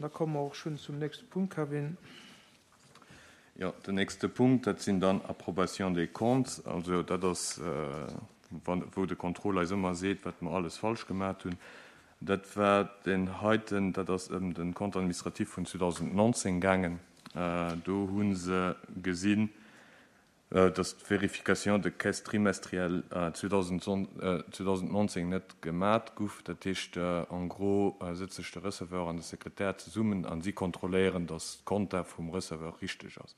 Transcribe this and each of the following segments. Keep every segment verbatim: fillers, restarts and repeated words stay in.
An da komme mer och schonn zum nächste Punkt, Kevin. Jo, den nächste Punkt, dat sinn dann Approbation des comptes. Also dat ass, wann, wou de Contrôle eis ëmmer seet, wat mer alles falsch gemaach hunn. Dat war den heiten, dat ass ëm den Compte administratif vun zweedausendnonzéng gaangen. Do hu se gesinn, dass d'Vérification de caisse trimestrielle zweedausendnonzéng net gemat guff. Dat heescht, en gros sëtzt sech de Receveur an de Sekretär zesummen an si kontrolléieren, dass d'Konta vum Receveur richteg ass.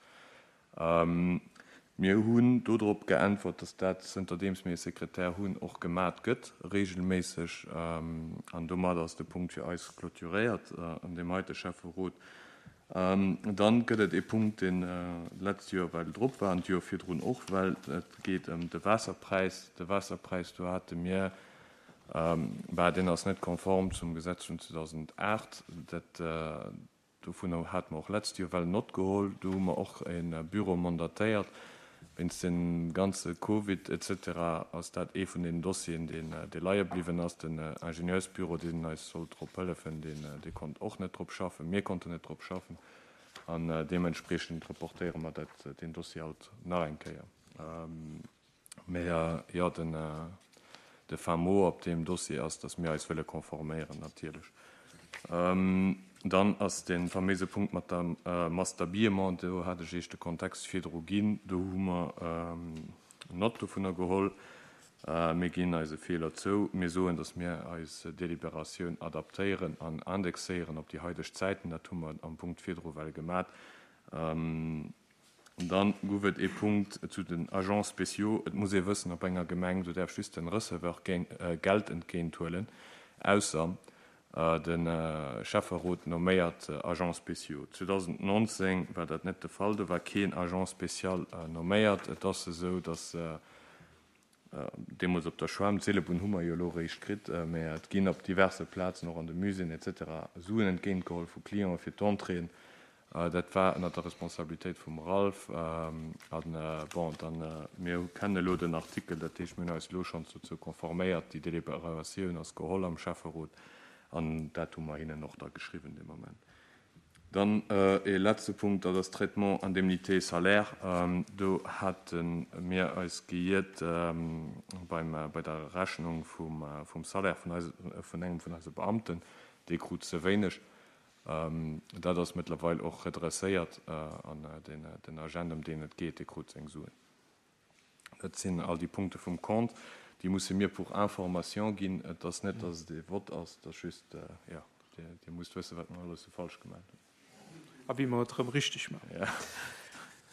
Mir hunn dodrop geäntwert, dass dat, zënterdeems mir e Sekretär hunn, och gemat gëtt, regelméisseg. An domat ass de Punkt fir eis clôturéiert an deem heite Schäfferot. Dann gëtt et ee Punkt, deen d'letzt Joer well drop war an d'Joer virdrun och, well et geet ëm de Waasserpräis. De Waasserpräis, do hate mir, bah, deen ass net konform zum Gesetz vun zweedausendacht. Dat, dovunner hate mer och letzt Joer well Nott geholl. Do hu mer och e Büro mandatéiert. Wéinst dem ganze Covid et cetera ass dat ee vun den Dossieren, deen, dee leie bliwwen ass. Den Ingenieursbüro, deen eis sollt drop hëllefen, deen, dee konnt och net drop schaffen. Mir konnten net drop schaffen. An deementspriechend reportéiere mer dat, deen Dossier haut nach eng Kéier. Mä jo, den, de fin mot op deem Dossier ass, dass mir eis wëlle konforméieren, natierlech. Dann ass dee faméise Punkt mat der Masse d'habillement, do hat ech Iech de Kontext virdru ginn, do hu mer Nott dovunner geholl. Mir ginn eise Feeler zou. Mir soen, datt mir eis Deliberatioun adaptéieren an indexéieren op déi haideg Zäiten. Dat hu mer am Punkt virdru well gemat. Dann gouf et ee Punkt zu den Agents spéciaux. Et muss ee wëssen, op enger Gemeng, do däerf just den Receveur Geld entgéinthuelen, ausser de Schäfferot nomméiert Agents spéciaux. zweedausendnonzéng war dat net de Fall, do war keen Agent spécial nomméiert. Et ass esou, datt deemools op der Schwämm, d'Seelebunn hu mer jo elo eréischt kritt, mä et ginn op diverse Plazen, och an de Muséeën et cetera, Suen entgéintgeholl vu Clienten fir d'Entréeën. Dat war ënner der Responsabilitéit vum Ralph. An bon, dann, mir kennen elo den Artikel, dat heescht, mir hunn eis elo schonns dozou konforméiert. Déi Deliberatioun ass geholl am Schäfferot an dat hu mer hinnen och da geschriwwen dee Moment. Dann ee letzte Punkt, dat ass Traitement indemnité salaire. Do hate mir eis geiert beim, bei der Rechnung vum, vum Salaire vun eise, vun engem vun eise Beamten. Dee krut ze wéineg. Dat ass mëttlerweil och redresséiert an den, den Agent, ëm deen et geet, dee krut seng Suen. Dat sinn all déi Punkte vum Compte. Déi musse mir pour information ginn. Et ass net, dass et ee Vott ass, et ass just, jo, Dir, Dir musst wëssen, wat mer alles sou falsch gemaach hunn. A wéi mer et erëm richteg maachen. Ja.